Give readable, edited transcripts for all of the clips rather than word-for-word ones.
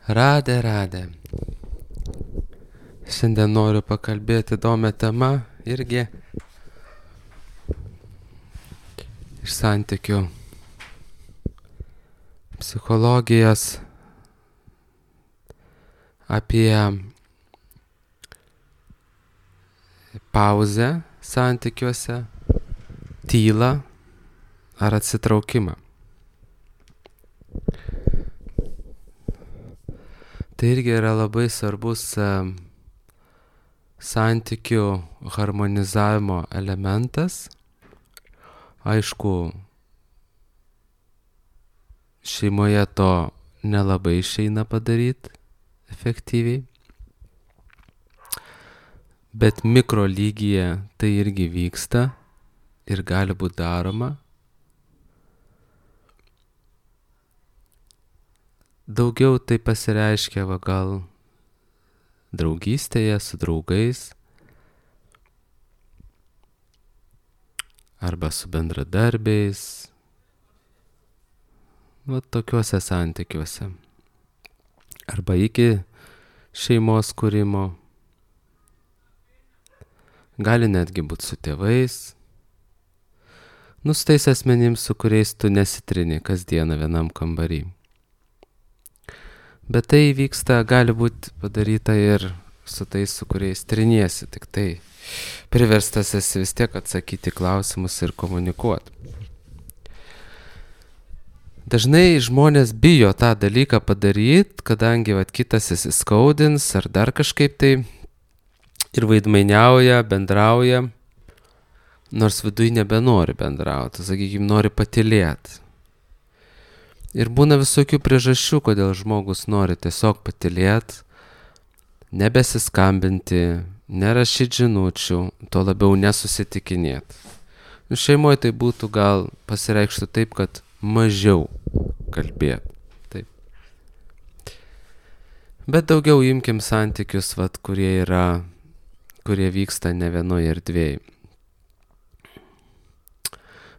Radė. Šiandien noriu pakalbėti įdomią temą irgi iš santykių psichologijos apie pauzę santykiuose, tylą ar atsitraukimą. Tai irgi yra labai svarbus santykių harmonizavimo elementas. Aišku, šeimoje to nelabai išeina padaryti efektyviai, bet mikro lygyje tai irgi vyksta ir gali būti daroma. Daugiau tai pasireiškia gal draugystėje su draugais arba su bendradarbiais, tokiuose santykiuose. Arba iki šeimos kūrimo. Gali netgi būti su tėvais. Su tais asmenims, su kuriais tu nesitrini kasdieną vienam kambarį. Bet tai vyksta, gali būti padaryta ir su tais, su kuriais triniesi, tik tai priverstas esi vis tiek atsakyti klausimus ir komunikuoti. Dažnai žmonės bijo tą dalyką padaryti, kadangi kitas įsiskaudins ar dar kažkaip tai ir vaidmainiauja, bendrauja, nors viduj nebenori bendrauti, sakykime, nori patylėti. Ir būna visokių priežasčių, kodėl žmogus nori tiesiog patylėti, nebesiskambinti, nerašyti žinučių, to labiau nesusitikinėti. Šeimoje tai būtų gal pasireikštų taip, kad mažiau kalbėti. Taip. Bet daugiau imkim santykius, kurie vyksta ne vienoje erdvėje.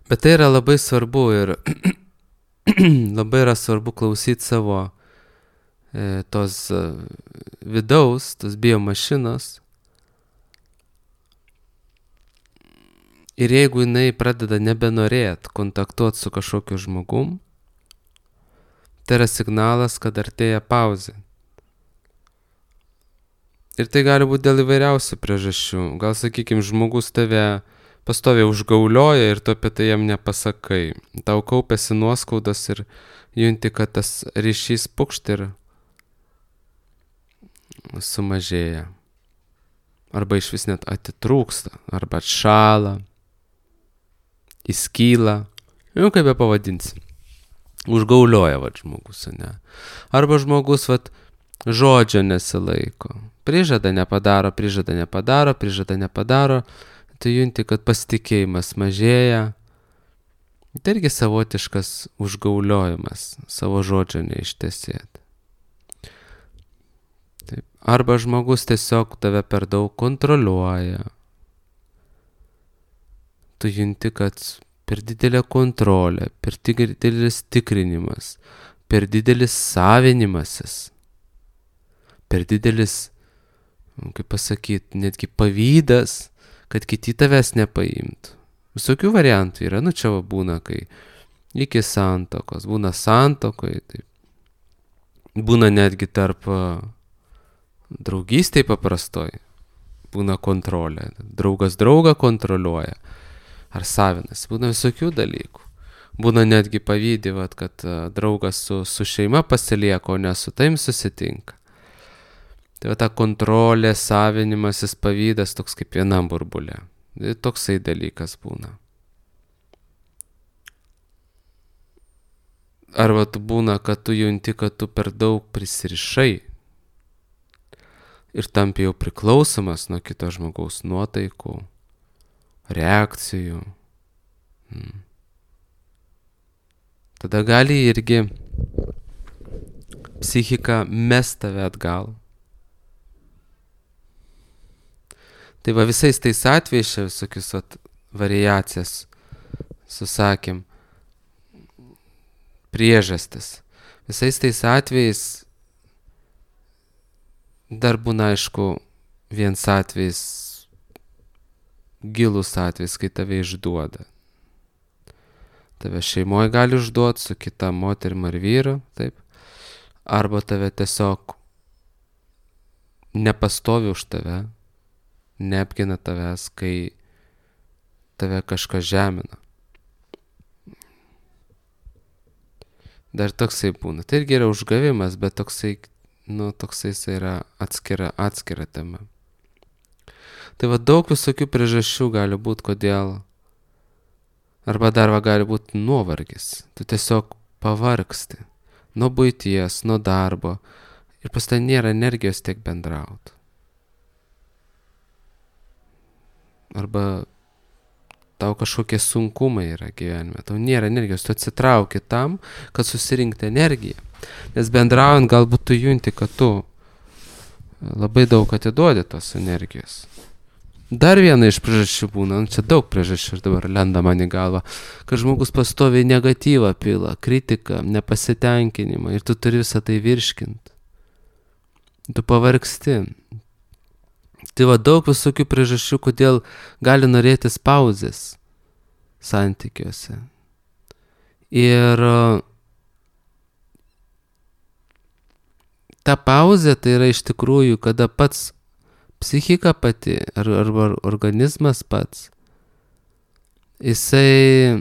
Bet tai yra labai svarbu ir labai yra svarbu klausyti savo tos vidaus, tos biomašinos. Ir jeigu jinai pradeda nebenorėti kontaktuoti su kažkokiu žmogum, tai yra signalas, kad artėja pauzė. Ir tai gali būti dėl įvairiausių priežasčių. Gal, sakykime, žmogus tave pastoviai užgaulioja ir tu apie tai jam nepasakai. Tau kaupiasi nuoskaudas ir junti, kad tas ryšys pukšt ir sumažėja. Arba iš vis net atitrūksta, arba atšąla, įskyla. Kaip be pavadinsi. Užgaulioja žmogus, ne? Arba žmogus žodžio nesilaiko. Prižada nepadaro. Tai junti, kad pasitikėjimas mažėja. Tai irgi savotiškas užgauliojimas, savo žodžio neištesėti. Taip. Arba žmogus tiesiog tave per daug kontroliuoja. Tu junti, kad per didelė kontrolė, per didelis tikrinimas, per didelis savinimasis, per didelis, kaip pasakyti, netgi pavydas, kad kiti tavęs nepaimtų. Visokių variantų yra, čia būna, kai iki santokos, būna santokoje, taip. Būna netgi tarp draugystėj paprastoj, būna kontrolė, draugas draugą kontroliuoja, ar savinas, būna visokių dalykų. Būna netgi pavydi, kad draugas su šeima pasilieka, o ne su taim susitinka. Tai ta kontrolė, savinimasis, pavydas toks kaip vienam burbule. Toksai dalykas būna. Arba tu būna, kad tu junti, kad tu per daug prisirišai ir tampi jau priklausomas nuo kito žmogaus nuotaikų, reakcijų. Tada gali irgi psichika mest tave atgal. Tai visais tais atvejais čia visokius variacijas susakėm, priežastis. Visais tais atvejais Dar būna, aišku, viens atvejs, gilus atvejs, kai tave išduoda. Tave šeimoje gali išduoti su kita moterim ar vyru, taip. Arba tave tiesiog nepastovi už tave, neapgina tavęs, kai tave kažkas žemina. Dar toksai būna. Tai irgi yra užgavimas, bet toksai jisai yra atskira tema. Tai va daug visokių priežasčių gali būti, kodėl. Arba dar gali būti nuovargis. Tu tiesiog pavargsti. Nuo buities, nuo darbo. Ir pas tai nėra energijos tiek bendrauti. Arba tau kažkokie sunkumai yra gyvenime. Tau nėra energijos. Tu atsitrauki tam, kad susirinkti energiją. Nes bendraujant galbūt tu junti, kad tu labai daug atiduodi tos energijos. Dar viena iš priežasčių būna, čia daug priežasčių dabar lenda man į galvą, kad žmogus pastoviai negatyvą pila, kritiką, nepasitenkinimą ir tu turi visą tai virškinti. Tu pavargsti. Tai va daug visokių priežasčių, kodėl gali norėtis pauzės santykiuose. Ir ta pauzė tai yra iš tikrųjų, kada pats psichika pati, arba organizmas pats, jisai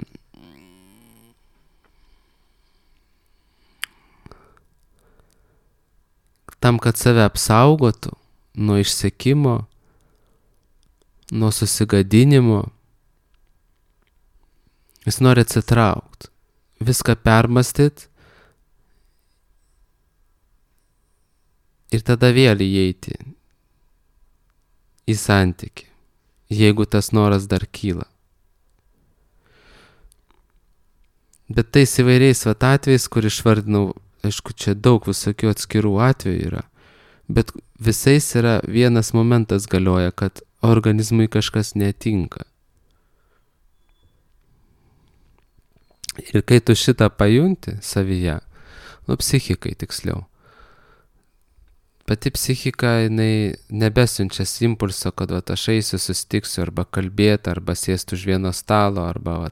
tam, kad save apsaugotų nuo išsekimo, nuo susigadinimo, jis nori atsitraukti, viską permastyti ir tada vėl įeiti į santykį, jeigu tas noras dar kyla. Bet tais įvairiais atvejais, kur išvardinau, aišku, čia daug visokių atskirų atvejų yra, bet visais yra vienas momentas galioja, kad organizmui kažkas netinka. Ir kai tu šitą pajunti savyje, psichikai tiksliau, pati psichika, jinai nebesiunčia impulso, kad aš eisiu, susitiksiu, arba kalbėti, arba sėsti už vieno stalo, arba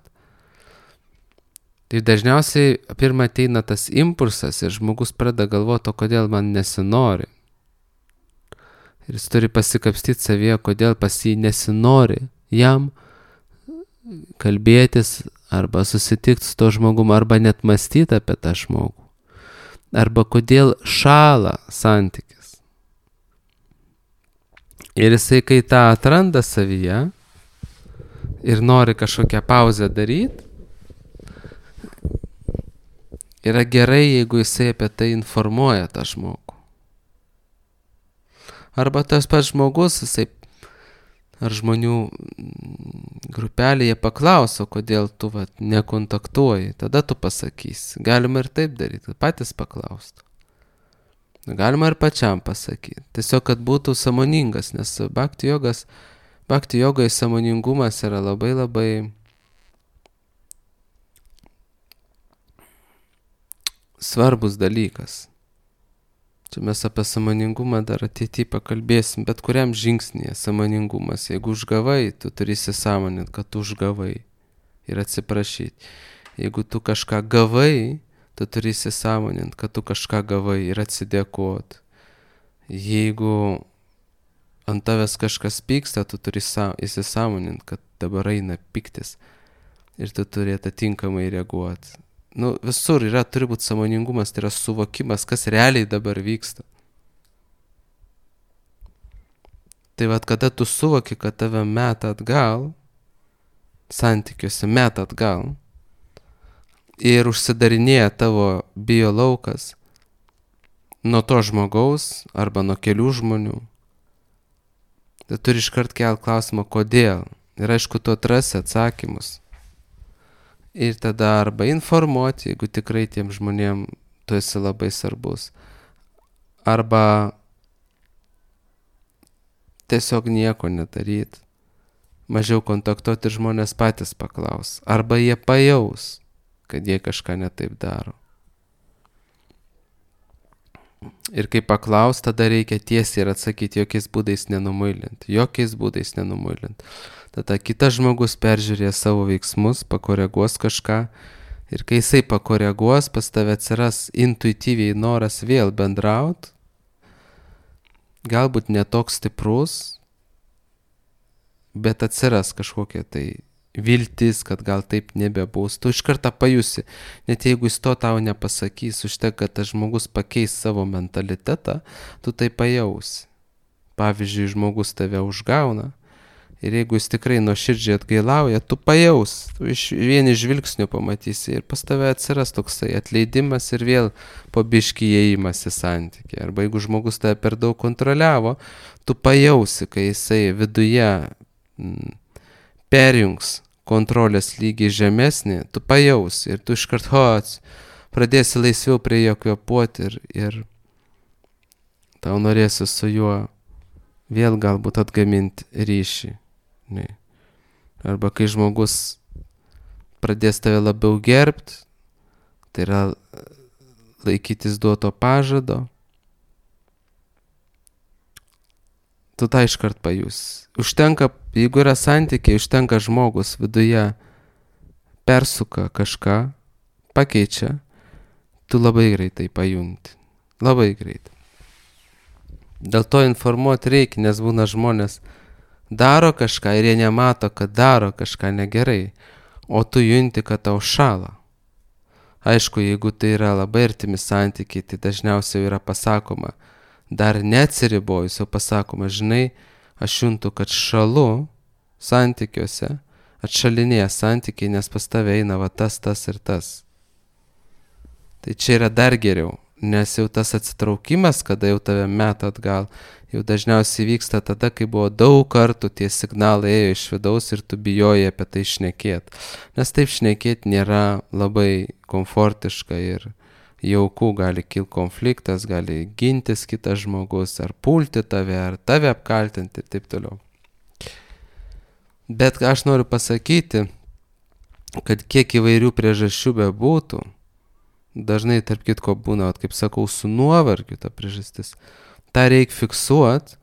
Tai dažniausiai pirmą ateina tas impulsas ir žmogus pradeda galvoti, kodėl man nesinori. Ir jis turi pasikapstyti savyje, kodėl pas jį nesinori jam kalbėtis, arba susitikti su to žmogum, arba net mąstyti apie tą žmogų. Arba kodėl šąla santykis. Ir jisai, kai tą atranda savyje ir nori kažkokią pauzę daryti, yra gerai, jeigu jisai apie tai informuoja tą žmogų. Arba tas pats žmogus, jisai, ar žmonių grupelėje paklauso, kodėl tu nekontaktuoji, tada tu pasakysi. Galima ir taip daryti, patys paklaustų. Galima ir pačiam pasakyti. Tiesiog, kad būtų sąmoningas, nes bhakti jogai sąmoningumas yra labai labai svarbus dalykas. Čia mes apie sąmoningumą dar ateityje pakalbėsim, bet kuriam žingsnėje sąmoningumas. Jeigu užgavai, tu turi įsisąmoninti, kad tu užgavai ir atsiprašyti. Jeigu tu kažką gavai, tu turi įsisąmoninti, kad tu kažką gavai ir atsidėkoti. Jeigu ant tavęs kažkas pyksta, tu turi įsisąmoninti, kad dabar eina pyktis ir tu turi atitinkamai reaguoti. Visur turi būti sąmoningumas, tai yra suvokimas, kas realiai dabar vyksta. Tai kada tu suvoki, kad tave meta atgal, santykiuose meta atgal, ir užsidarinėja tavo biolaukas nuo to žmogaus arba nuo kelių žmonių, tai turi iškart kelt klausimą, kodėl. Ir aišku, tu atrasi atsakymus. Ir tada arba informuoti, jeigu tikrai tiem žmonėm tu esi labai svarbus. Arba tiesiog nieko nedaryti. Mažiau kontaktuoti ir žmonės patys paklaus. Arba jie pajaus, kad jie kažką netaip daro. Ir kai paklaus, tada reikia tiesiai ir atsakyti, jokiais būdais nenumailint. Jokiais būdais nenumailint. Tada kitas žmogus peržiūrės savo veiksmus, pakoreguos kažką. Ir kai jisai pakoreguos, pas tave atsiras intuityviai noras vėl bendraut. Galbūt netoks stiprus, bet atsiras kažkokia tai viltis, kad gal taip nebebus. Tu iš karto pajusi, net jeigu jis to tau nepasakys, užtek, kad tas žmogus pakeis savo mentalitetą, tu tai pajausi. Pavyzdžiui, žmogus tave užgauna ir jeigu jis tikrai nuoširdžiai atgailauja, tu pajaus, tu iš vieni žvilgsnių pamatysi ir pas tave atsiras toksai atleidimas ir vėl po biškį įėjimas į santykį. Arba jeigu žmogus tave per daug kontroliavo, tu pajausi, kai jisai viduje perjungs kontrolės lygį žemesnį, tu pajausi ir tu iškart pradėsi laisviau prie jo kvėpuoti ir tau norėsi su juo vėl galbūt atgaminti ryšį. Ne. Arba kai žmogus pradės tave labiau gerbt, tai yra laikytis duoto pažado, tu tą iškart pajus. Užtenka, jeigu yra santykiai, užtenka žmogus viduje persuka kažką, pakeičia, tu labai greitai pajunti. Labai greitai. Dėl to informuoti reikia, nes būna žmonės daro kažką ir jie nemato, kad daro kažką negerai, o tu junti, kad tau šala. Aišku, jeigu tai yra labai artimi santykiai, tai dažniausiai yra pasakoma, dar neatsiribojus, jau pasakoma, žinai, aš juntu, kad šalu santykiuose, atšalinėja santykiai, nes pas tave eina va tas ir tas. Tai čia yra dar geriau, nes jau tas atsitraukimas, kada jau tave meta atgal, jau dažniausiai vyksta tada, kai buvo daug kartų tie signalai ėjo iš vidaus ir tu bijojai apie tai šnekėti. Nes taip šnekėti nėra labai komfortiška ir jauku, gali kilti konfliktas, gali gintis kitas žmogus, ar pulti tave, ar tave apkaltinti ir taip toliau. Bet aš noriu pasakyti, kad kiek įvairių priežasčių bebūtų, dažnai tarp kitko būna, kaip sakau, su nuovargiu ta priežastis, tą reikia fiksuoti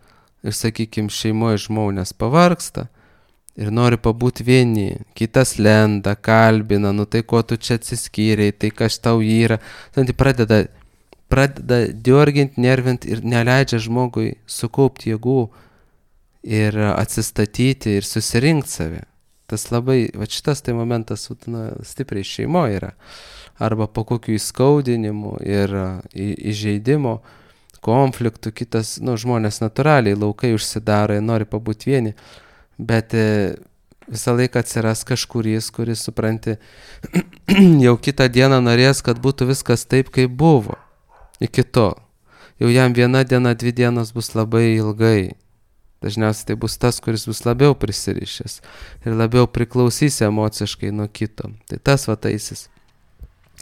ir, sakykime, šeimoje žmonės pavargsta ir nori pabūti vieni, kitas lenda, kalbina, nu tai ko tu čia atsiskyrei, tai kas tau yra. Tai pradeda diorginti, nervinti ir neleidžia žmogui sukaupti jėgų ir atsistatyti ir susirinkti save. Tas labai, va šitas tai momentas stipriai šeimoje yra. Arba po kokių įskaudinimų ir įžeidimo, konfliktų, kitas, žmonės natūraliai laukai užsidaro, nori pabūti vieni. Bet visą laiką atsiras kažkuris, kuris, supranti, jau kitą dieną norės, kad būtų viskas taip, kaip buvo. Iki to. Jau jam 1 diena, 2 dienos bus labai ilgai. Dažniausiai tai bus tas, kuris bus labiau prisirišęs ir labiau priklausys emociškai nuo kito. Tai tas vataisis.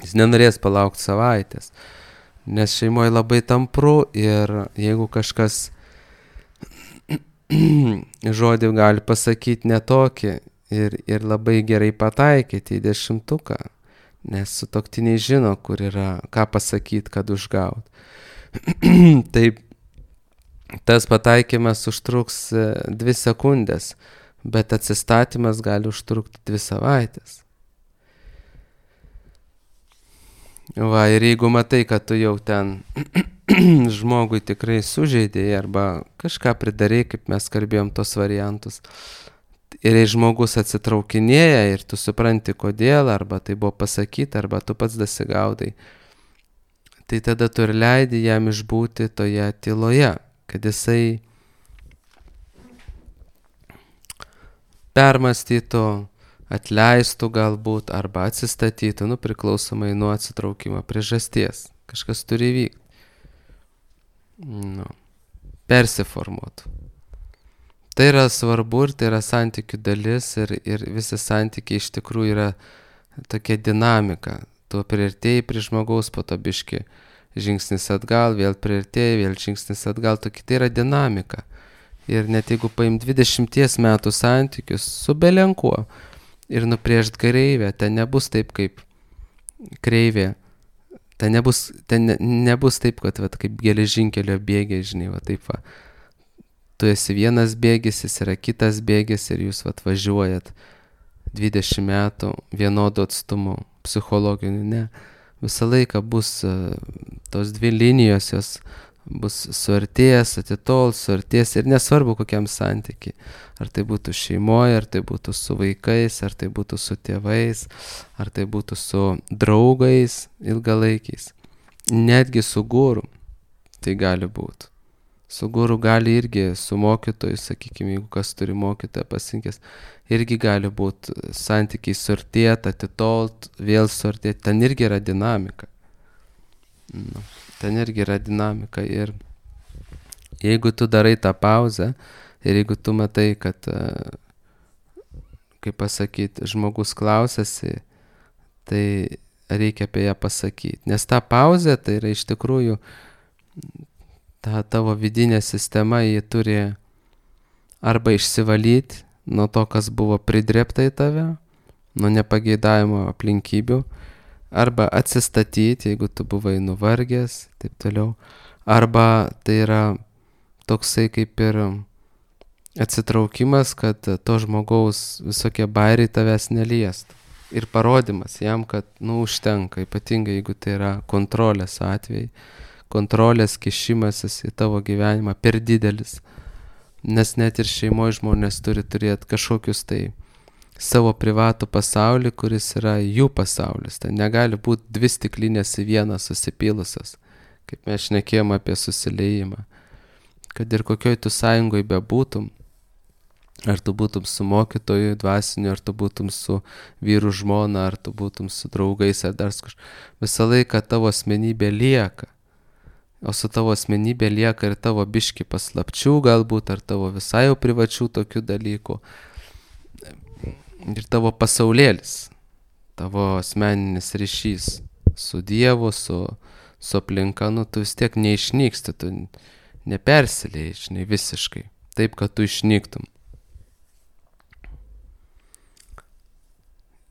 Jis nenorės palaukti savaitės. Nes šeimoje labai tampru ir jeigu kažkas žodį gali pasakyti netokį ir labai gerai pataikyti į 10, nes sutuoktiniai žino, kur yra, ką pasakyti, kad užgaut. Taip, tas pataikymas užtruks 2 sekundės, bet atsistatymas gali užtrukti 2 savaitės. Va, ir jeigu matai, kad tu jau ten žmogui tikrai sužeidėjai arba kažką pridarei, kaip mes kalbėjom tos variantus, ir jei žmogus atsitraukinėja ir tu supranti kodėl, arba tai buvo pasakyti, arba tu pats dasigaudai, tai tada tu ir leidi jam išbūti toje tyloje, kad jisai permąstytų, atleistų galbūt, arba atsistatytų, priklausomai nuo atsitraukimo priežasties. Kažkas turi įvykti. Persiformuotų. Tai yra svarbu ir tai yra santykių dalis ir visi santykiai iš tikrųjų yra tokia dinamika. Tu priartėjai prie žmogaus, po to biški žingsnis atgal, vėl priartėjai, vėl žingsnis atgal, tokia tai yra dinamika. Ir net jeigu paim 20 metų santykius su belenkuo ir nupriešt kreivę, ten nebus taip kaip kreivė nebus taip, kad kaip geležinkelio bėgiai, žinai, taip va. Tu esi vienas bėgis, jis yra kitas bėgis ir jūs važiuojat 20 metų vienodu atstumu psichologiniu, ne. Visą laiką bus tos dvi linijos, jos bus suartėjęs, suartės ir nesvarbu kokiam santykiai. Ar tai būtų šeimoje, ar tai būtų su vaikais, ar tai būtų su tėvais, ar tai būtų su draugais ilgalaikiais. Netgi su guru tai gali būti. Su guru gali irgi, su mokytoju, sakykime, jeigu kas turi mokytoją pasirinkęs, irgi gali būti santykiai suartėt, atitolt, vėl suartėt. Ten irgi yra dinamika. Ten irgi yra dinamika ir jeigu tu darai tą pauzę ir jeigu tu matai, kad, kaip pasakyti, žmogus klausėsi, tai reikia apie ją pasakyti. Nes ta pauzė tai yra iš tikrųjų ta tavo vidinė sistema, ji turi arba išsivalyti nuo to, kas buvo pridrėpta į tave, nuo nepageidavimo aplinkybių, arba atsistatyti, jeigu tu buvai nuvargęs, taip toliau. Arba tai yra toksai kaip ir atsitraukimas, kad to žmogaus visokie bairiai tavęs neliestų. Ir parodimas jam, kad užtenka, ypatingai jeigu tai yra kontrolės atvejai. Kontrolės kišimasis į tavo gyvenimą per didelis. Nes net ir šeimoje žmonės turi turėti kažkokius tai savo privatų pasaulį, kuris yra jų pasaulis. Tai negali būti dvi stiklinės į vieną susipylusios, kaip mes šnekėjom apie susiliejimą. Kad ir kokioj tu sąjungoj bebūtum, ar tu būtum su mokytoju dvasiniu, ar tu būtum su vyru žmona, ar tu būtum su draugais, ar dar kažkas, visą laiką tavo asmenybė lieka. O su tavo asmenybė lieka ir tavo biški paslapčių galbūt, ar tavo visai jau privačių tokių dalykų. Ir tavo pasaulėlis, tavo asmeninis ryšys su Dievu, su aplinka, tu vis tiek neišnyksti, tu nepersilieji, žinai, visiškai, taip, kad tu išnyktum.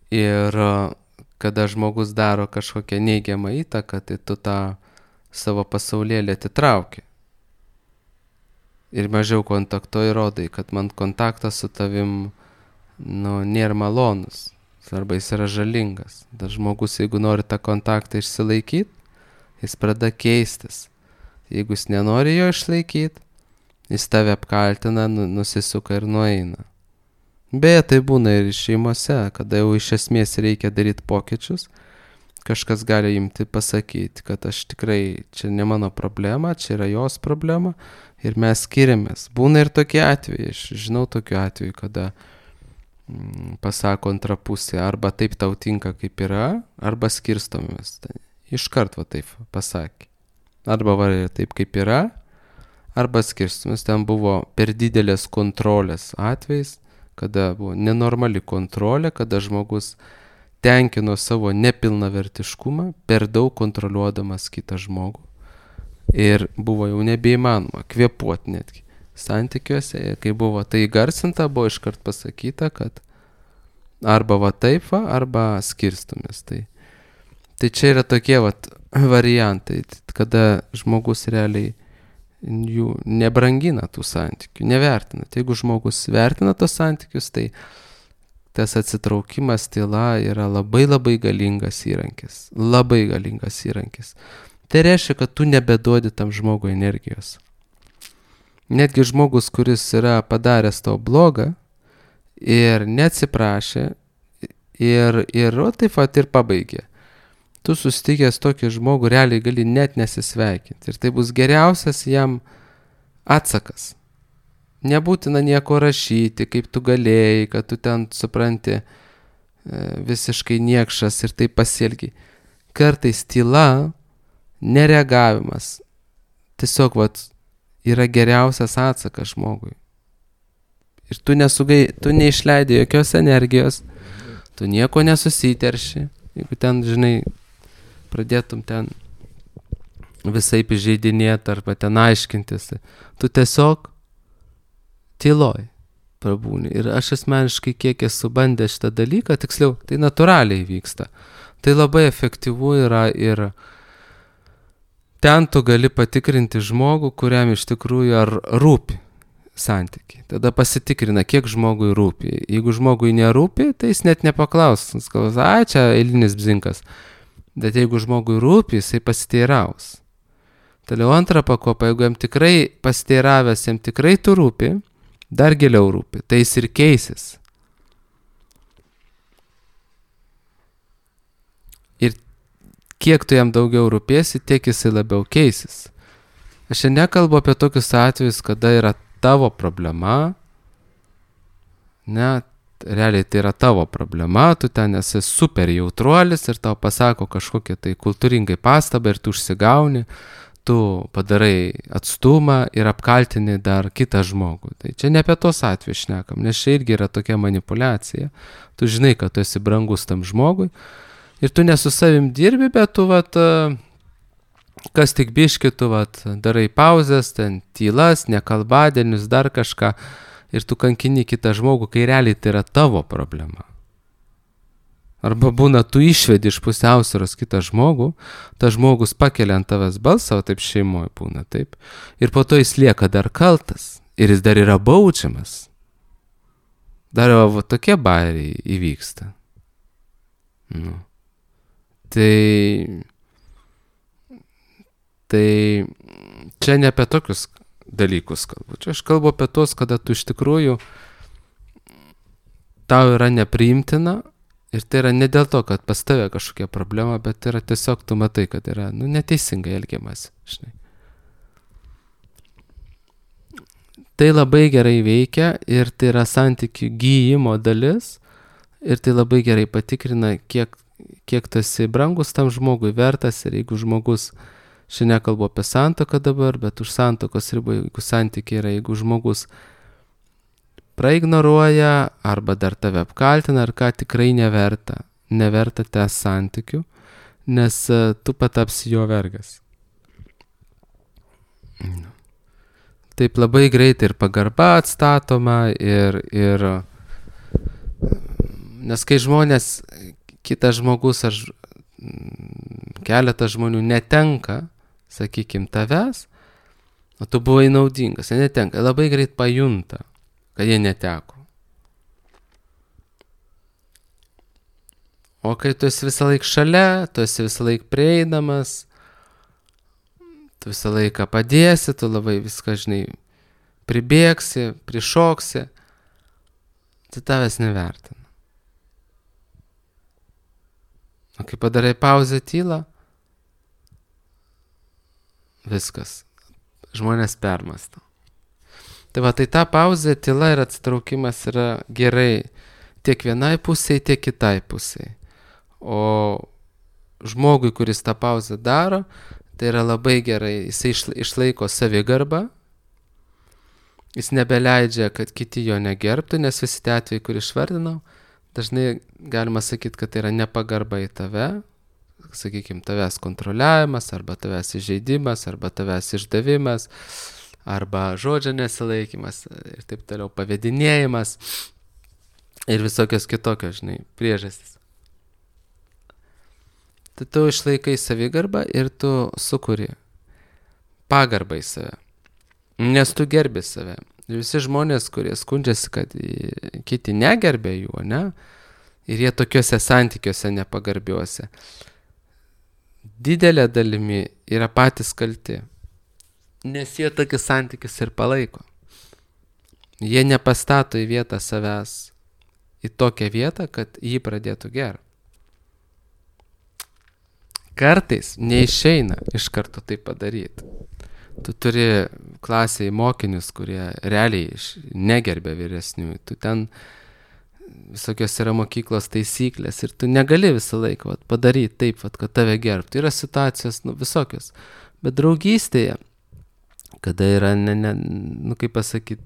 Ir kada žmogus daro kažkokią neigiamą įtaką, tai tu tą savo pasaulėlį atitrauki. Ir mažiau kontaktuoji, rodai, kad man kontaktas su tavim nėra malonus, arba jis yra žalingas. Dar žmogus, jeigu nori tą kontaktą išsilaikyti, jis pradeda keistis. Jeigu jis nenori jo išlaikyti, jis tave apkaltina, nusisuka ir nueina. Beje, tai būna ir šeimose, kada jau iš esmės reikia daryti pokyčius, kažkas gali imti pasakyti, kad aš tikrai, čia ne mano problema, čia yra jos problema ir mes skiriamės. Būna ir tokie atvejai, aš žinau tokių atvejų, kada pasako antra pusė, arba taip tau tinka kaip yra, arba skirstomės. Iškart va taip pasakė. Arba va taip kaip yra, arba skirstomės. Ten buvo per didelės kontrolės atvejais, kada buvo nenormali kontrolė, kada žmogus tenkino savo nepilnavertiškumą, per daug kontroliuodamas kitą žmogų. Ir buvo jau nebeįmanoma kvėpuoti netgi santykiuose, kai buvo tai garsinta, buvo iškart pasakyta, kad arba va taip va, arba skirstumės. Tai čia yra tokie variantai, kada žmogus realiai jų nebrangina tų santykių, nevertina. Tai jeigu žmogus vertina tos santykius, tai tas atsitraukimas, tyla yra labai labai galingas įrankis. Labai galingas įrankis. Tai reiškia, kad tu nebeduodi tam žmogui energijos. Netgi žmogus, kuris yra padaręs tau blogą ir neatsiprašė ir taip pat ir pabaigė. Tu susitikęs tokį žmogų realiai gali net nesisveikinti. Ir tai bus geriausias jam atsakas. Nebūtina nieko rašyti, kaip tu galėjai, kad tu ten supranti visiškai niekšas ir taip pasielgi. Kartais tyla, nereagavimas, tiesiog yra geriausias atsakas žmogui. Ir tu neišleidai jokios energijos, tu nieko nesusiterši, jeigu ten, žinai, pradėtum ten visaip įžeidinėti arba ten aiškintis, tu tiesiog tyloj prabūni. Ir aš asmeniškai kiek esu bandęs šitą dalyką, tiksliau, tai natūraliai vyksta. Tai labai efektyvu yra ir ten tu gali patikrinti žmogų, kuriam iš tikrųjų ar rūpi santykiai. Tada pasitikrina, kiek žmogui rūpi. Jeigu žmogui nerūpi, tai jis net nepaklaus. Jis kalbas, čia eilinis bzinkas. Bet jeigu žmogui rūpi, jisai pasiteiraus. Toliau antrą pakopą, jeigu jam tikrai pasiteiravęs, jam tikrai tu rūpi, dar giliau rūpi, tai jis ir keisis. Ir kiek tu jam daugiau rūpėsi, tiek jisai labiau keisis. Aš čia nekalbu apie tokius atvejus, kada yra tavo problema, ne, realiai tai yra tavo problema, tu ten esi super jautruolis ir tau pasako kažkokią tai kultūringai pastabą ir tu užsigauni, tu padarai atstumą ir apkaltini dar kitą žmogų. Tai čia ne apie tos atvejus šnekam, nes čia irgi yra tokia manipulacija. Tu žinai, kad tu esi brangus tam žmogui ir tu ne su savim dirbi, bet tu kas tik biški, tu darai pauzes, ten tylas, nekalbadienius, dar kažką ir tu kankini kitą žmogų, kai realiai tai yra tavo problema. Arba būna, tu išvedi iš pusiausvyros kitą žmogų, tas žmogus pakelia ant tavęs balsą, o taip šeimoje būna, taip. Ir po to jis lieka dar kaltas ir jis dar yra baudžiamas. Dar tokie bairiai įvyksta. Nu. Tai čia ne apie tokius dalykus kalbu. Čia aš kalbu apie tos, kada tu iš tikrųjų tau yra nepriimtina ir tai yra ne dėl to, kad pas tave kažkokia problema, bet yra tiesiog tu matai, kad yra neteisingai elgiamasi. Žinai. Tai labai gerai veikia ir tai yra santykių gyjimo dalis ir tai labai gerai patikrina, kiek tu esi brangus tam žmogui, vertas ir jeigu žmogus, šiandien kalbu apie santuoką dabar, bet už santuokos ribų, jeigu santykiai yra, jeigu žmogus praignoruoja arba dar tave apkaltina, ar ką tikrai neverta tęs santykių, nes tu patapsi jo vergas. Taip labai greitai ir pagarba atstatoma ir nes kai žmonės, kitas žmogus ar keletas žmonių netenka, sakykim, tavęs, o tu buvai naudingas, jie netenka, labai greit pajunta, kad jie neteko. O kai tu esi visą laiką šalia, tu esi visą laiką prieinamas, tu visą laiką padėsi, tu labai viską, žinai, pribėgsi, prišoksi, tai tavęs nevertina. O kai padarai pauzę tylą, viskas. Žmonės permąsto. Tai ta pauzė, tyla ir atsitraukimas yra gerai tiek vienai pusėje, tiek kitai pusėje. O žmogui, kuris tą pauzę daro, tai yra labai gerai. Jisai išlaiko savigarbą. Jis nebeleidžia, kad kiti jo negerbtų, nes visi tie atvejai, kur išvardinau, dažnai galima sakyti, kad tai yra nepagarba į tave. Sakykime, tavęs kontroliavimas, arba tavęs įžeidimas, arba tavęs išdavimas, arba žodžio nesilaikymas ir taip toliau, pavedinėjimas ir visokios kitokios, žinai, priežastys. Tai tu išlaikai savigarbą ir tu sukuri pagarbą į save, nes tu gerbi save. Ir visi žmonės, kurie skundžiasi, kad kiti negerbė jų, ne, ir jie tokiuose santykiuose nepagarbiuose, didelė dalimi yra patys kalti, nes jie tokius santykius ir palaiko. Jie nepastato į vietą savęs, į tokią vietą, kad jį pradėtų gerbti. Kartais neišeina iš karto tai padaryti. Tu turi klasėje mokinius, kurie realiai negerbė vyresniųjų. Tu ten visokios yra mokyklos taisyklės ir tu negali visą laiką padaryti taip, kad tave gerbtų. Yra situacijos visokios. Bet draugystėje, kada yra, kaip pasakyti,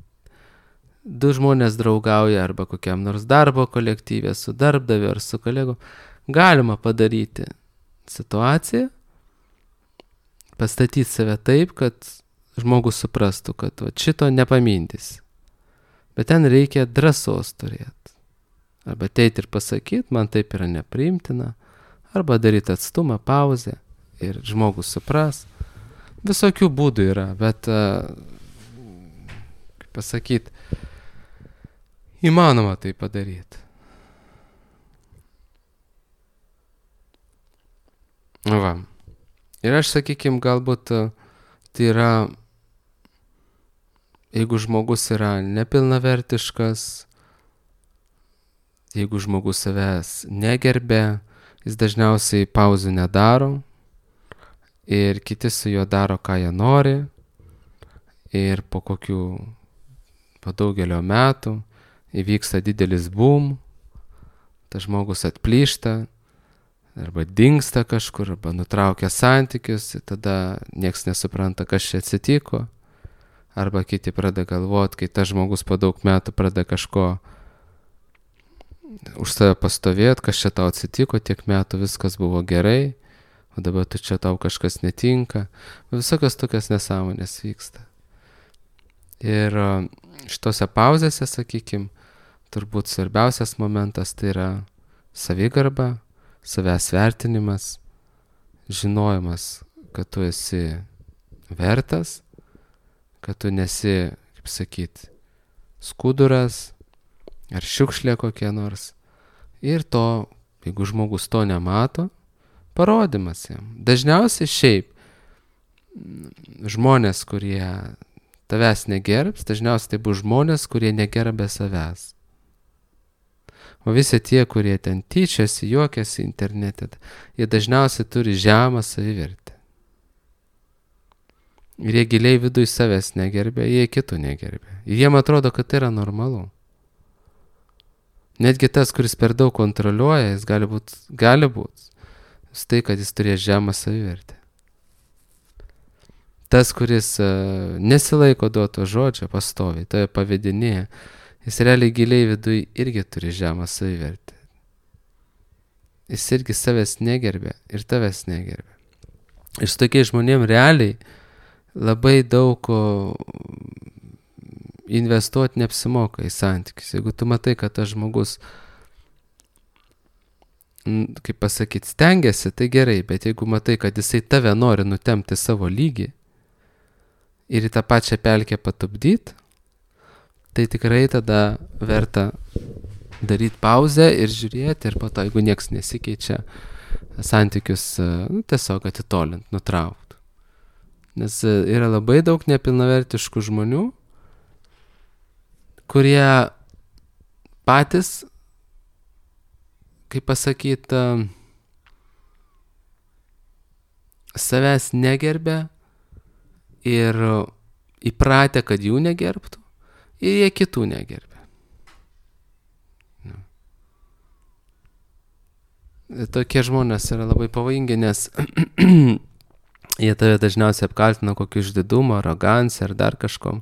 du žmonės draugauja arba kokiam nors darbo kolektyvė su darbdaviu ar su kolegu, galima padaryti situaciją, pastatyti save taip, kad žmogus suprastų, kad šito nepamindys. Bet ten reikia drąsos turėti. Arba ateiti ir pasakyti, man taip yra nepriimtina, arba daryti atstumą, pauzę ir žmogus supras. Visokių būdų yra, bet, kaip pasakyti, įmanoma tai padaryti. Va. Ir aš, sakykime, galbūt tai yra, jeigu žmogus yra nepilnavertiškas, jeigu žmogus savęs negerbė, jis dažniausiai pauzių nedaro ir kiti su juo daro, ką jie nori. Ir po daugelio metų įvyksta didelis boom, tas žmogus atplyšta, arba dingsta kažkur, arba nutraukia santykius, tada nieks nesupranta, kas čia atsitiko. Arba kiti pradeda galvoti, kai tas žmogus po daug metų pradeda kažko už save pastovėti, kas čia tau atsitiko, tiek metų viskas buvo gerai, o dabar tu čia tau kažkas netinka. Visokios tokios nesąmonės vyksta. Ir šitose pauzėse, sakykime, turbūt svarbiausias momentas tai yra savigarba, savęs vertinimas, žinojimas, kad tu esi vertas, kad tu nesi, kaip sakyti, skuduras ar šiukšlė kokia nors. Ir to, jeigu žmogus to nemato, parodymas jam. Dažniausiai šiaip žmonės, kurie tavęs negerbs, dažniausiai tai bus žmonės, kurie negerbė savęs. O visi tie, kurie ten tyčiasi, juokiasi internete, jie dažniausiai turi žemą savivertę. Ir jie giliai viduj savęs negerbė, jie kitų negerbė. Ir jiem atrodo, kad tai yra normalu. Netgi tas, kuris per daug kontroliuoja, jis gali būt tai, kad jis turės žemą savivertę. Tas, kuris nesilaiko duoto žodžio pastoviai, toje pavedinėje, jis realiai giliai viduj irgi turi žemą savivertę. Jis irgi savęs negerbė ir tavęs negerbė. Ir su tokiais žmonėm realiai labai daug investuoti neapsimoka į santykius. Jeigu tu matai, kad tas žmogus, kaip pasakyti, stengiasi, tai gerai, bet jeigu matai, kad jisai tave nori nutempti savo lygį ir į tą pačią pelkę patupdyti, tai tikrai tada verta daryti pauzę ir žiūrėti, ir po to, jeigu nieks nesikeičia, santykius tiesiog atitolint, nutraukti. Nes yra labai daug nepilnavertiškų žmonių, kurie patys, kaip pasakyti, savęs negerbė ir įpratę, kad jų negerbtų, ir jie kitų negerbė. Tokie žmonės yra labai pavojingi, nes jie tave dažniausiai apkaltina kokiu išdidumu, arogancija ar dar kažkom.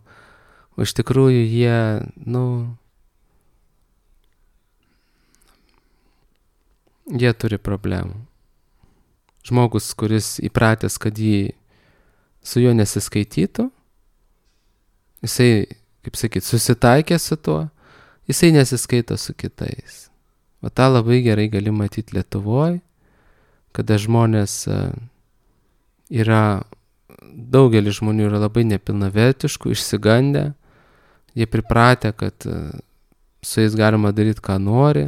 O iš tikrųjų jie, jie turi problemų. Žmogus, kuris įpratęs, kad su juo nesiskaitytų, jisai, kaip sakyt, susitaikė su tuo, jisai nesiskaito su kitais. O tą labai gerai gali matyti Lietuvoje, kada žmonės daugelis žmonių yra labai nepilnavertiškų, išsigandę, jie pripratę, kad su jais galima daryti, ką nori,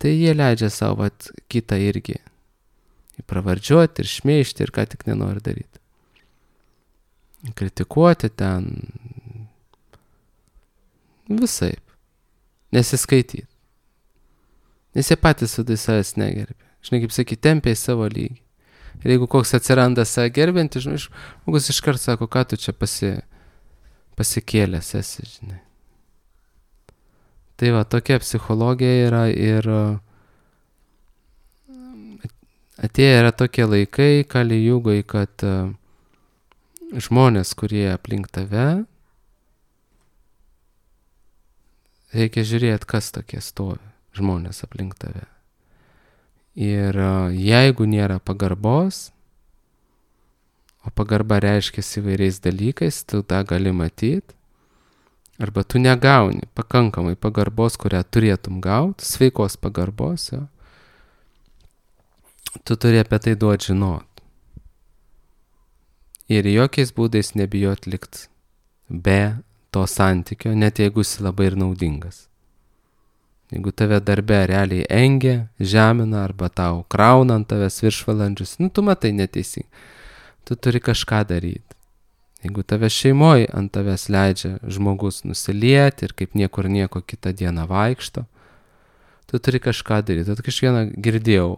tai jie leidžia savo kitą irgi pravardžiuoti ir šmeižti ir ką tik nenori daryti. Kritikuoti ten visaip, nesiskaityti. Nes jie patys vidai savęs negerbė. Žinai, kaip sakyti, tempia į savo lygį. Ir jeigu koks atsiranda save gerbinti, žmogus iškart sako, ką tu čia pasikėlęs esi, žinai. Tai va, tokia psichologija yra ir atėję yra tokie laikai, Kali Jugoj, kad žmonės, kurie aplink tave, reikia žiūrėti, kas tokie stovi, žmonės aplink tave. Ir jeigu nėra pagarbos, o pagarba reiškiasi įvairiais dalykais, tu tą gali matyti, arba tu negauni pakankamai pagarbos, kurią turėtum gauti, sveikos pagarbos, jo. Tu turi apie tai duoti žinot. ir jokiais būdais nebijot likt be to santykio, net jeigu jis labai ir naudingas. Jeigu tave darbe realiai engia, žemina arba tau krauna ant tavęs viršvalandžius, tu matai neteisingai. Tu turi kažką daryti. Jeigu tave šeimoje ant tavęs leidžia žmogus nusilieti ir kaip niekur nieko kitą dieną vaikšto, tu turi kažką daryti. Tad kažkieną girdėjau,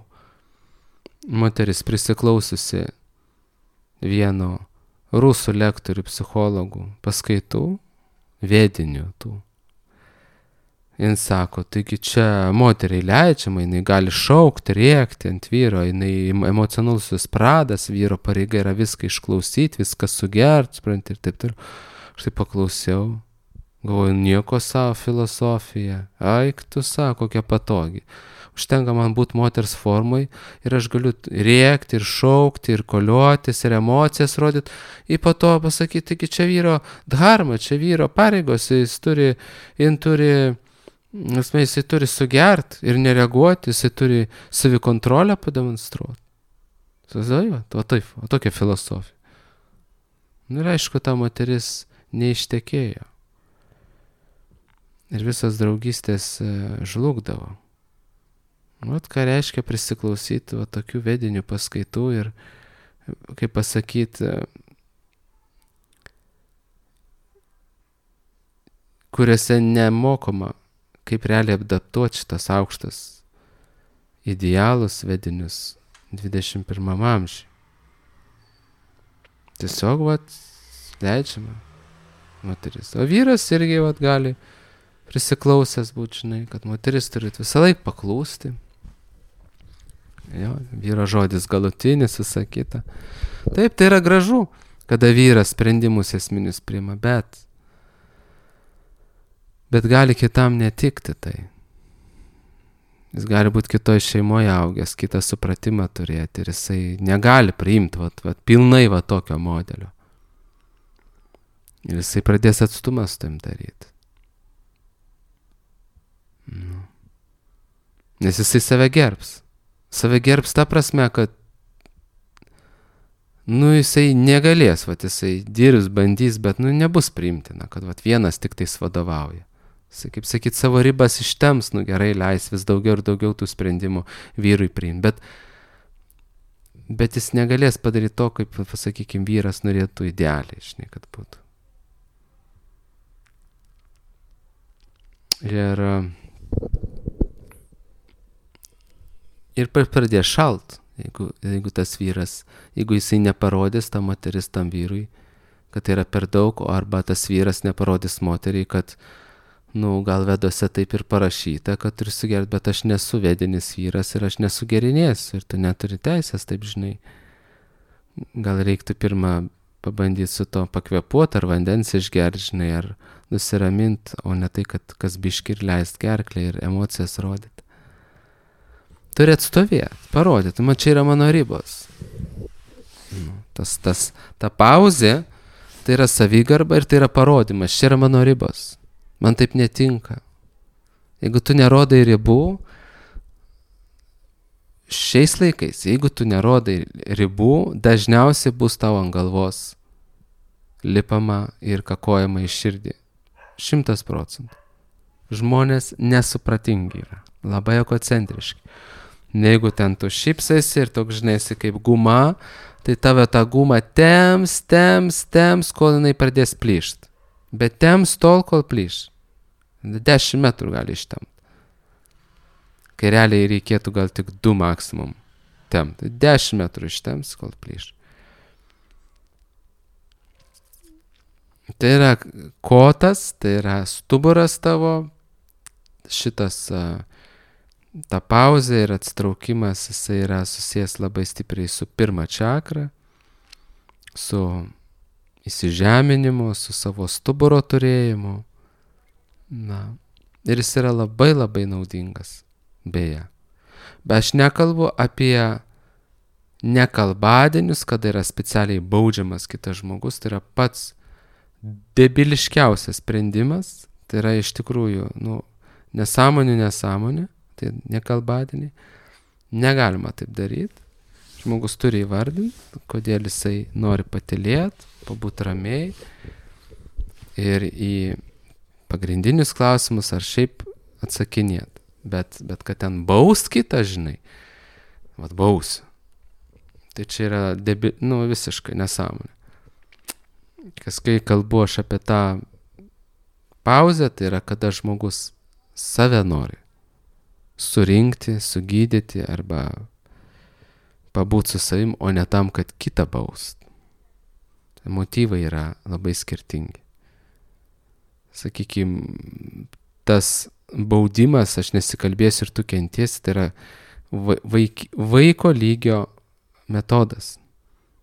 moteris prisiklausiusi vieno rusų lektorių psichologų paskaitų, vedinių tų. Jis sako, taigi čia moteriai leidžiama, jinai gali šaukti, rėkti ant vyro, jinai emocionalusis pradas, vyro pareiga yra viską išklausyti, viską sugert, supranti, ir taip toliau. Aš tai paklausiau, galvoju, nieko savo filosofija, aik tu sako, kokia patogi. Užtenka man būti moters formai ir aš galiu rėkti ir šaukti ir koliotis ir emocijas rodyti. Ir po to pasakyti, taigi čia vyro dharma, čia vyro pareigos, jisai turi sugert ir nereaguoti, jisai turi savikontrolę pademonstruoti. O tokia filosofija. Ir aišku, ta moteris neištekėjo. Ir visas draugystės žlugdavo. Vat ką reiškia prisiklausyti tokių vedinių paskaitų ir, kaip pasakyti, kuriuose nemokoma, kaip realiai adaptuoti šitas aukštas idealus vedinius 21 amžiui. Tiesiog leidžiama moteris. O vyras irgi gali prisiklausęs būt, žinai, kad moteris turi visą laiką paklūsti. Jo, vyro žodis galutinis, visa kita. Taip, tai yra gražu, kada vyras sprendimus esminius priima, bet gali kitam netikti tai. Jis gali būti kitoj šeimoje augęs, kitą supratimą turėti ir jisai negali priimti pilnai tokio modelio. Ir jisai pradės atstumą su tam daryti. Nes jisai save gerbs. Save gerbs ta prasme, kad jisai negalės, jisai dirbs, bandys, bet nebus priimtina, kad vienas tik tais vadovauja. Jisai, kaip sakyt, savo ribas ištems, gerai, leis vis daugiau ir daugiau tų sprendimų vyrui priimti. Bet jis negalės padaryti to, kaip, pasakykim, vyras norėtų idealiai, žinai, kad būtų. Ir pradės šalt, jeigu tas vyras, jeigu jisai neparodys ta moteris tam vyrui, kad tai yra per daug, arba tas vyras neparodys moteriai, kad, gal vedose taip ir parašyta, kad turi sugerti, bet aš nesu vedinis vyras ir aš nesugerinėsiu ir tu neturi teisės, taip žinai. Gal reiktų pirmą pabandyti su to pakvepuoti, ar vandens išgerti, žinai, ar nusiraminti, o ne tai, kad kas biški ir leist gerklę ir emocijas rodyti. Turi atstovėti, parodyti, čia yra mano ribos. Ta pauzė, tai yra savigarba ir tai yra parodimas, čia yra mano ribos. Man taip netinka. Jeigu tu nerodai ribų, šiais laikais, jeigu tu nerodai ribų, dažniausiai bus tau ant galvos lipama ir kakojama į širdį. 100%. Žmonės nesupratingi yra, labai egocentriški. Jeigu ten tu šypsaisi ir toks, žinai, kaip guma, tai tave ta guma temps, kol jinai pradės plyšt. Bet temps tol, kol plyš. 10 metrų gali ištemti. Kai realiai reikėtų gal tik 2 maksimum temti. 10 metrų ištems, kol plyš. Tai yra kotas, tai yra stuburas tavo, šitas ta pauzė ir atsitraukimas, jisai yra susijęs labai stipriai su pirma čakra, su įsižeminimu, su savo stuburo turėjimu. Ir jis yra labai labai naudingas, beje. Bet aš nekalbu apie nekalbadienius, kada yra specialiai baudžiamas kitas žmogus, tai yra pats debiliškiausias sprendimas, tai yra iš tikrųjų, nesąmonė, tai nekalbadieniai. Negalima taip daryti. žmogus turi įvardinti, kodėl jisai nori patylėti, pabūti ramiai ir į pagrindinius klausimus ar šiaip atsakinėti. Bet kad ten baust kitą, žinai, bausiu. Tai čia yra visiškai nesąmonė. Kai kalbu aš apie tą pauzę, tai yra kada žmogus save nori surinkti, sugydyti arba pabūti su savim, o ne tam, kad kitą baust. Motyvai yra labai skirtingi. Sakykime, tas baudimas, aš nesikalbėsiu ir tu kentiesi, tai yra vaiko lygio metodas.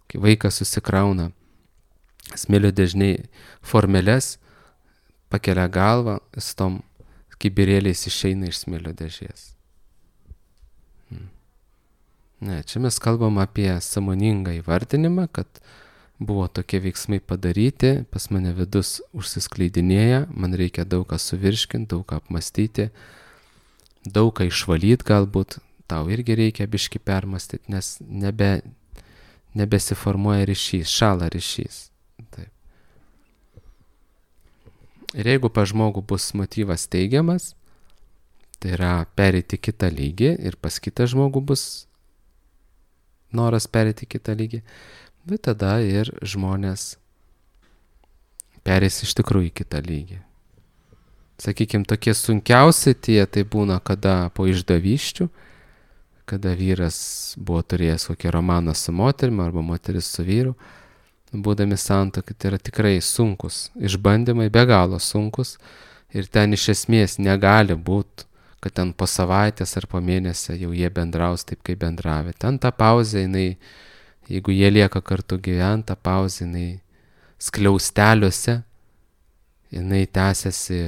Kai vaikas susikrauna smėlio dėžniai formeles, pakelia galvą, su tom kibirėliais išeina iš smėlio dėžės. Ne, čia mes kalbam apie sąmoningą įvardinimą, kad buvo tokie veiksmai padaryti, pas mane vidus užsiskleidinėja, man reikia daug ką suvirškinti, daug ką apmastyti, daug ką išvalyti galbūt, tau irgi reikia biškį permastyti, nes nebesiformuoja ryšys, šąla ryšys. Taip. Ir jeigu pas žmogų bus motyvas teigiamas, tai yra pereiti kitą lygį ir pas kitą žmogų bus noras pereiti kitą lygį, bet tada ir žmonės pereis iš tikrųjų į kitą lygį. Sakykime, tokie sunkiausi tai būna, kada po išdavysčių, kada vyras buvo turėjęs kokį romaną su moterimi arba moteris su vyru, būdami santuokai, tai yra tikrai sunkus išbandymai, be galo sunkus, ir ten iš esmės negali būti, kad ten po savaitės ar po mėnesio jau jie bendraus taip, kaip bendravė. Ten ta pauzė, jeigu jie lieka kartu gyventi, ta pauzė, skliausteliuose, jinai tęsiasi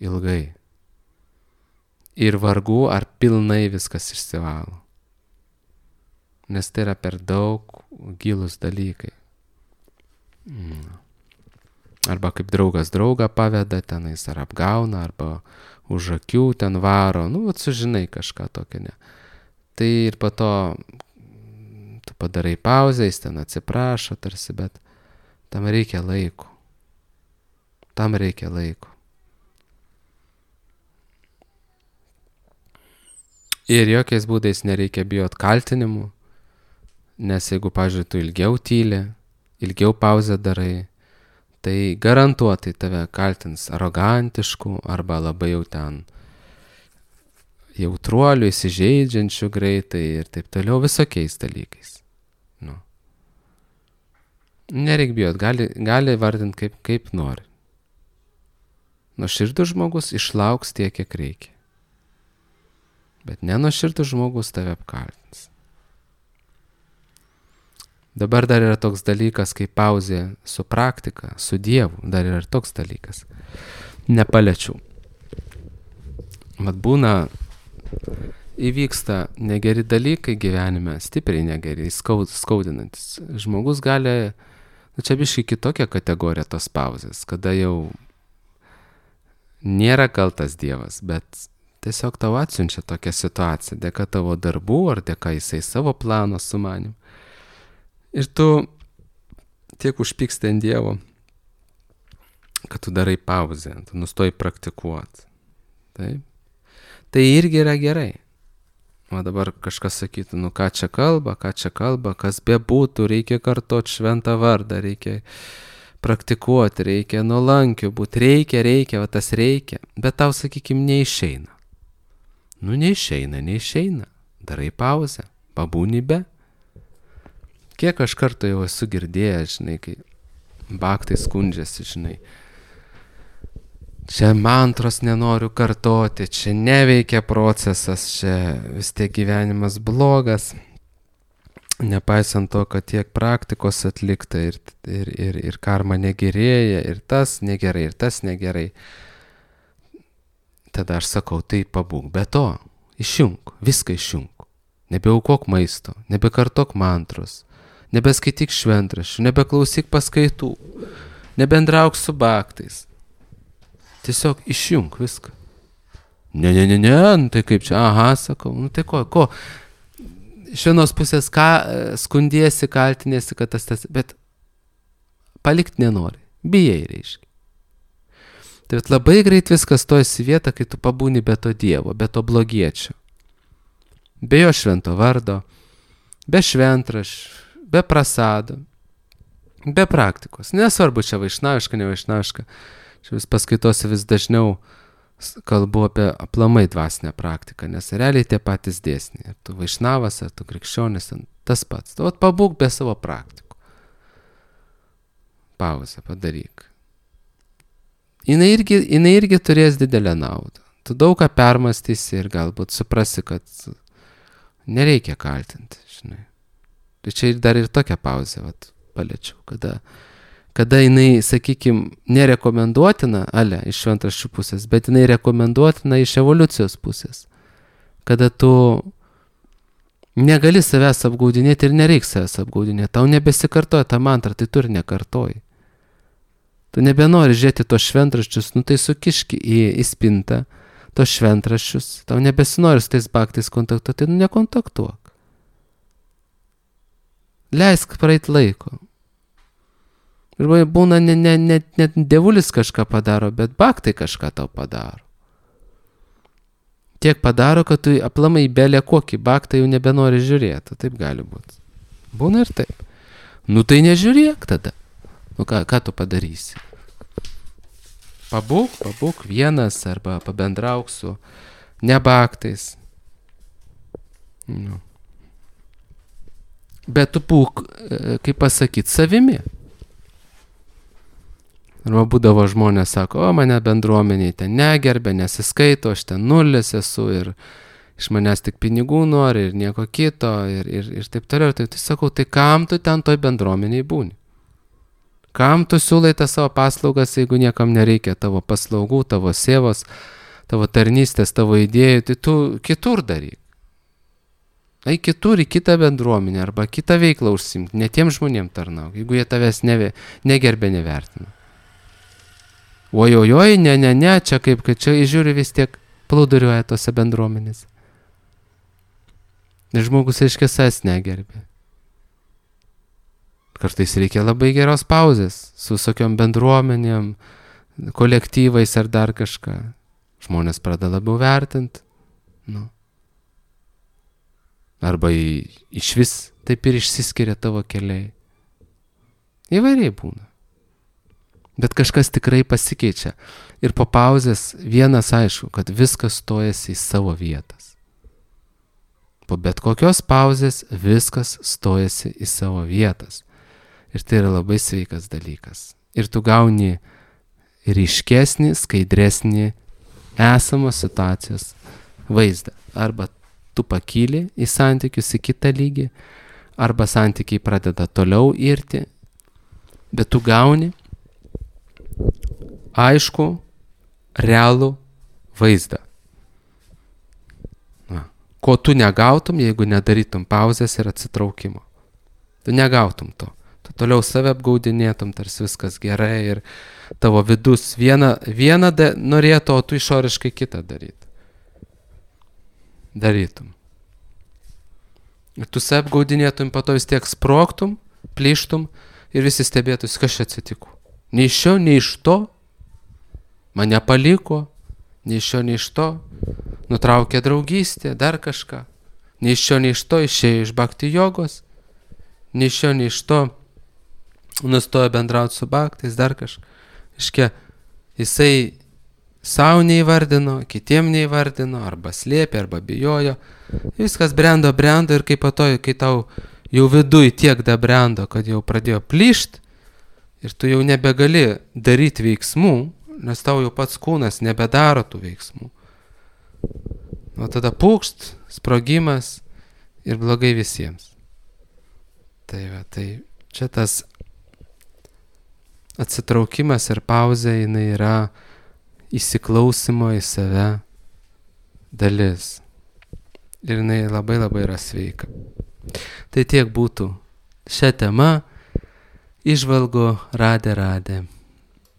ilgai. Ir vargu ar pilnai viskas išsivalo. Nes tai yra per daug gilūs dalykai. Arba kaip draugas draugą paveda, tenais ar apgauna, arba už akių ten varo, sužinai kažką tokio, ne. Tai ir po to tu padarai pauzę, jis ten atsiprašo tarsi, bet tam reikia laiko. Ir jokiais būdais nereikia bijot kaltinimų, nes jeigu, pavyzdžiui, tu ilgiau tyli, ilgiau pauzę darai, tai garantuotai tave kaltins arogantišku arba labai jau ten jautruoliu, įsižeidžiančiu greitai ir taip toliau, visokiais dalykais. Nereik bijot, gali vardinti kaip nori. Nuoširdus žmogus išlauks tiek, kiek reikia. Bet nenuoširdus žmogus tave apkaltins. Dabar dar yra toks dalykas, kaip pauzė su praktika, su Dievu. Dar yra toks dalykas. Nepaliečiau. Vat būna, įvyksta negeri dalykai gyvenime, stipriai negeri, skaudinantis. Žmogus gali, čia biškai kitokia kategorija tos pauzės, kada jau nėra kaltas Dievas, bet tiesiog tau atsiunčia tokią situaciją, dėka tavo darbų ar dėka jisai savo plano sumanim. Ir tu tiek užpyksti ant Dievo, kad tu darai pauzę, tu nustoji praktikuoti. Taip? Tai irgi yra gerai. O dabar kažkas sakytų, ką čia kalba, kas bebūtų, reikia kartot šventą vardą, reikia praktikuoti, reikia nuolankiu būti, reikia, va tas reikia, bet tau, sakykime, neišeina. Neišeina, darai pauzę, pabūni be. Kiek aš kartų jau esu girdėjęs, žinai, kai baktai skundžiasi, žinai, čia mantros nenoriu kartoti, čia neveikia procesas, čia vis tiek gyvenimas blogas, nepaisant to, kad tiek praktikos atlikta ir karma negerėja, ir tas negerai. Tada aš sakau, tai pabūk, be to, išjunk, viską išjunk. Nebeaukok maisto, nebekartok mantros, nebeskaityk šventraščių, nebeklausyk paskaitų, nebendrauk su baktais. Tiesiog išjunk viską. Ne, tai kaip čia, sakau, tai ko? iš vienos pusės skundiesi, kaltinėsi, kad tas, bet palikti nenori. Bijai, reiškia. Tai labai greit viskas stojasi vietą, kai tu pabūni be to Dievo, be to blogiečio. Be jo švento vardo, be šventraščių, be prasado, be praktikos. Nesvarbu, čia vaišnaviška, nevaišnaviška. Čia vis paskaitose vis dažniau kalbu apie aplamai dvasinę praktiką, nes realiai tie patys dėsniai. Ar tu vaišnavas, ar tu krikščionis, tas pats. Tu pabūk be savo praktikų. Pauzę padaryk. Jinai irgi turės didelę naudą. Tu daug ką permastysi ir galbūt suprasi, kad nereikia kaltinti, žinai. Tai čia dar ir tokią pauzę paliečiau, kada jinai, sakykime, nerekomenduotina, iš šventraščių pusės, bet jinai rekomenduotina iš evoliucijos pusės. Kada tu negali savęs apgaudinėti ir nereiks savęs apgaudinėti. Tau nebesikartoja tą mantrą, tai tu ir nekartoji. Tu nebenori žiūrėti tos šventraščius, tai sukiški į spintą tos šventraščius. Tau nebesinori su tais baktais kontaktuoti, nekontaktuok. Leisk praeit laiko. Ir būna net dievulis kažką padaro, bet baktai kažką tau padaro. Tiek padaro, kad tu aplamai belė kokį baktą jau nebenori žiūrėti. Taip gali būti. Būna ir taip. Tai nežiūrėk tada. Ką tu padarysi? Pabūk vienas arba pabendrauk su nebaktais. Bet tu būk, kaip pasakyti, savimi. Arba būdavo žmonės sako, mane bendruomeniai ten negerbė, nesiskaito, aš ten nulis esu ir iš manęs tik pinigų nori ir nieko kito ir taip toliau. Tai sakau, tai kam tu ten toj bendruomeniai būni? Kam tu siūlai tą savo paslaugas, jeigu niekam nereikia tavo paslaugų, tavo sėvos, tavo tarnystės, tavo idėjų, tai tu kitur daryk. Eik kitur į kitą bendruomenę arba kitą veiklą užsimti, ne tiem žmonėm tarnauk, jeigu jie tavęs negerbė, nevertina. Ojojoj, ne, čia kaip, kad čia žiūri vis tiek plūduriuoja tose bendruomenėse. Ir žmogus aiškiai savęs negerbė. Kartais reikia labai geros pauzės su visokiom bendruomenėm, kolektyvais ar dar kažką. Žmonės pradeda labiau vertinti. Arba iš vis taip ir išsiskiria tavo keliai. Įvairiai būna. Bet kažkas tikrai pasikeičia. Ir po pauzės vienas aišku, kad viskas stojasi į savo vietas. Po bet kokios pauzės viskas stojasi į savo vietas. Ir tai yra labai sveikas dalykas. Ir tu gauni ryškesnį, skaidresnį esamos situacijos vaizdą. Arba tu pakyli į santykius į kitą lygį, arba santykiai pradeda toliau irti, bet tu gauni aišku, realų vaizdą. Ko tu negautum, jeigu nedarytum pauzės ir atsitraukimo. Tu negautum to. Tu toliau save apgaudinėtum, tarsi viskas gerai ir tavo vidus vieną norėtų, o tu išoriškai kitą darytum. Ir tu save apgaudinėtum, po to vis tiek sprogtum, plyštum ir visi stebėtus, kas čia atsitiko. Nei iš šio, nei iš to, mane paliko, nei iš šio, nei iš to, nutraukė draugystę, dar kažką. Nei iš šio, nei iš to išėjo iš bhakti jogos, nei iš šio, nei iš to nustojo bendrauti su bhaktais, dar kažką. Iškia, jisai savo neįvardino, kitiem neįvardino, arba slėpė, arba bijojo. Viskas brendo ir kai tau jau viduj tiek dabrendo, kad jau pradėjo plyšt ir tu jau nebegali daryti veiksmų, nes tau jau pats kūnas nebedaro tų veiksmų. O tada pūkšt, sprogimas ir blogai visiems. Tai čia tas atsitraukimas ir pauzė, jinai yra įsiklausimo į save dalis. Ir jinai labai labai yra sveika. Tai tiek būtų šią temą. Įžvalgų Radė.